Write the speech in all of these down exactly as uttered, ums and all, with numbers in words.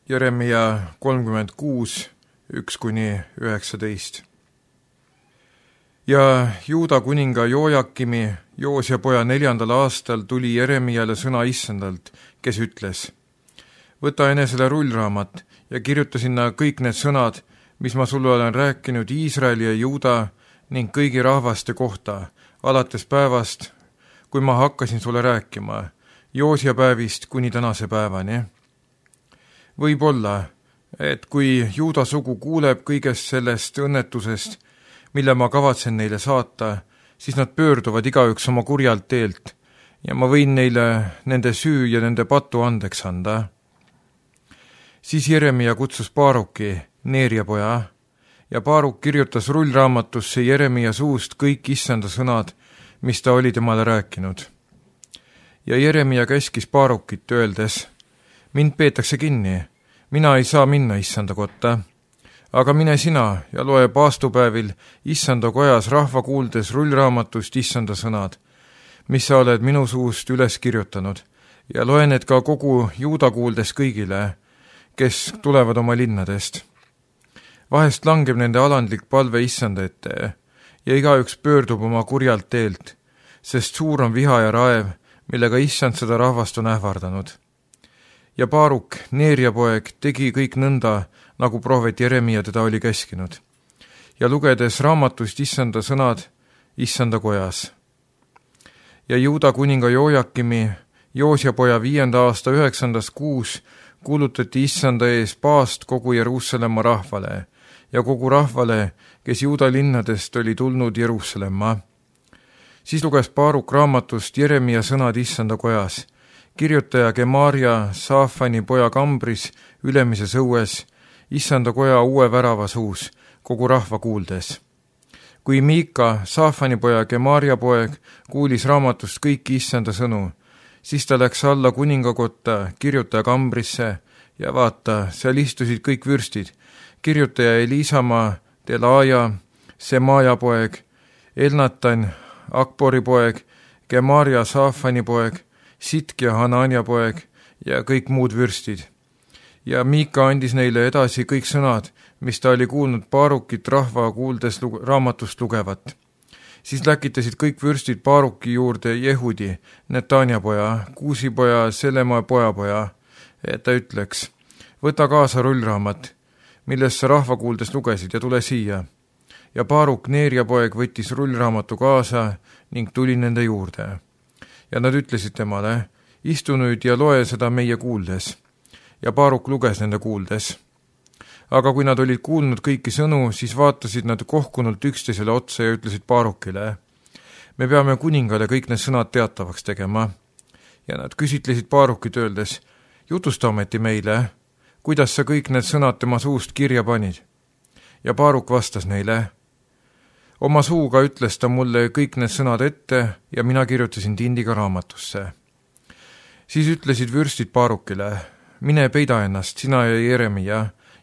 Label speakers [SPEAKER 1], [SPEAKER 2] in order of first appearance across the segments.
[SPEAKER 1] Jeremia kolmkümmend kuus, üks kuni üheksateist. Ja Juuda kuninga Jojakimi, Joosia poja neljandal aastal tuli Jeremiale sõna issandalt, kes ütles: võta enesele rullraamat ja kirjuta sinna kõik need sõnad, mis ma sulle olen rääkinud Iisraeli ja Juuda ning kõigi rahvaste kohta, alates päevast, kui ma hakkasin sulle rääkima, Joosia päevist kuni tänase päevani. Võib olla, et kui Juuda sugu kuuleb kõigest sellest õnnetusest, mille ma kavatsen neile saata, siis nad pöörduvad igaüks oma kurjalt teelt ja ma võin neile nende süü ja nende patu andeks anda. Siis Jeremia kutsus Baaruki, Neeria poja, ja Baaruk kirjutas rullraamatusse Jeremia suust kõik issanda sõnad, mis ta oli temale rääkinud. Ja Jeremia käskis Baarukit öeldes: mind peetakse kinni, mina ei saa minna issanda kotta, aga mine sina ja loe paastupäevil issanda kojas rahva kuuldes rullraamatust issanda sõnad, mis sa oled minu suust üles kirjutanud, ja loe need ka kogu Juuda kuuldes kõigile, kes tulevad oma linnadest. Vahest langeb nende alandlik palve issanda ette ja igaüks pöördub oma kurjalt teelt, sest suur on viha ja raev, millega issand seda rahvast on ähvardanud. Ja Baaruk, Neeria poeg, tegi kõik nõnda, nagu prohvet Jeremia teda oli käskinud, ja lugedes raamatust issanda sõnad issanda kojas. Ja Juuda kuninga Jojakimi, Joosia poja viienda aasta üheksandas kuus kuulutati issanda ees paast kogu Jeruusalemma rahvale ja kogu rahvale, kes Juuda linnadest oli tulnud Jeruusalemma. Siis luges Baaruk raamatust Jeremia sõnad issanda kojas, kirjutaja Gemaria Saafani poja kambris ülemises õues, issanda koja uue värava suus, kogu rahva kuuldes. Kui Miika, Saafani poja Gemaria poeg, kuulis raamatust kõiki issanda sõnu, siis ta läks alla kuningakotta kirjutaja kambrisse ja vaata, seal istusid kõik vürstid, kirjutaja Eliisama, Delaaja, Semaja poeg, Elnatan, Akbori poeg, Gemaria Saafani poeg, Sitkia Hanania poeg ja kõik muud vürstid. Ja Miika andis neile edasi kõik sõnad, mis ta oli kuulnud Baarukit rahva kuuldes lugu, raamatust lugevat. Siis läkitasid kõik vürstid Baaruki juurde Jehudi, Netania poja, Kuusi poja, Selema poja poja, et ta ütleks: võta kaasa rullraamat, millest sa rahva kuuldes lugesid ja tule siia. Ja Baaruk, Neeria poeg, võttis rullraamatu kaasa ning tuli nende juurde. Ja nad ütlesid temale: istu nüüd ja loe seda meie kuuldes. Ja Baaruk luges nende kuuldes. Aga kui nad olid kuulnud kõiki sõnu, siis vaatasid nad kohkunult üksteisele otsa ja ütlesid Baarukile: me peame kuningale kõik need sõnad teatavaks tegema. Ja nad küsitlesid Baarukit öeldes: jutusta ometi meile, kuidas sa kõik need sõnad tema suust kirja panid. Ja Baaruk vastas neile: oma suuga ütles ta mulle kõik need sõnad ette ja mina kirjutasin tindiga raamatusse. Siis ütlesid vürstid Baarukile: mine peida ennast, sina ja Jeremia,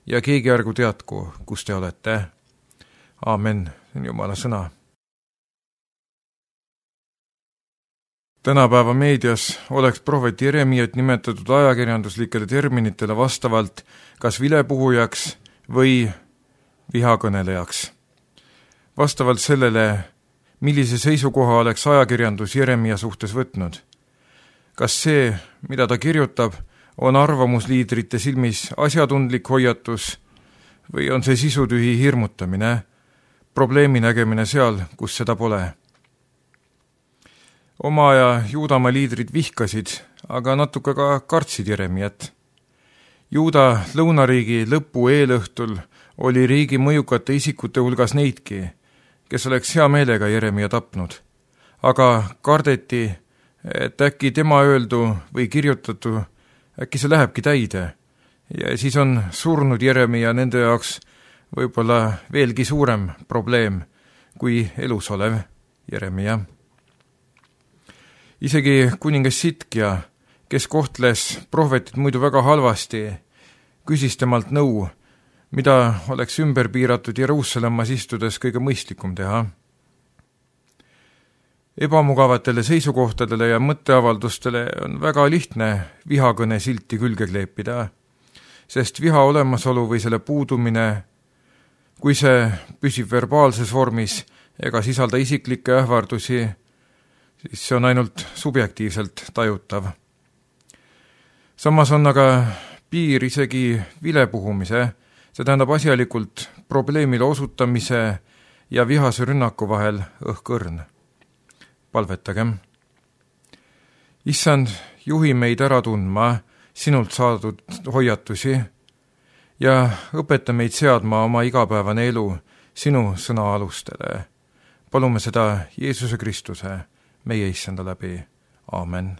[SPEAKER 1] ja keegi ärgu teadku, kus te olete. Aamen, see on Jumala sõna. Tänapäeva meedias oleks prohvet Jeremiat nimetatud ajakirjanduslikele terminitele vastavalt kas vilepuhujaks või vihakõnelejaks. Vastavalt sellele, millise seisukoha oleks ajakirjandus Jeremia suhtes võtnud. Kas see, mida ta kirjutab, on arvamusliidrite silmis asjatundlik hoiatus või on see sisutühi hirmutamine, probleemi nägemine seal, kus seda pole? Oma aja Juudamaa liidrid vihkasid, aga natuke ka kartsid Jeremiat. Juuda lõunariigi lõpu eelõhtul oli riigi mõjukate isikute hulgas neidki, kes oleks hea meelega Jeremia tapnud, aga kardeti, et äkki tema öeldu või kirjutatu, äkki see lähebki täide ja siis on surnud Jeremia nende jaoks võib-olla veelgi suurem probleem kui elus olev Jeremia. Isegi kuningas Sitkia, kes kohtles prohvetit muidu väga halvasti, küsis temalt nõu, mida oleks ümber piiratud Jeruusalemmas istudes kõige mõistlikum teha. Ebamugavatele seisukohtadele ja mõtteavaldustele on väga lihtne vihakõne silti külge kleepida. sest viha olemasolu või selle puudumine, kui see püsib verbaalses vormis ega sisalda isiklikke ähvardusi, siis see on ainult subjektiivselt tajutav. Samas on aga piir isegi vilepuhumise, see tähendab asjalikult probleemile osutamise ja vihase rünnaku vahel õhkõrn. Palvetagem. Issand, juhi meid ära tundma sinult saadud hoiatusi ja õpeta meid seadma oma igapäevane elu sinu sõna alustele. Palume seda Jeesuse Kristuse, meie Issanda läbi. Aamen.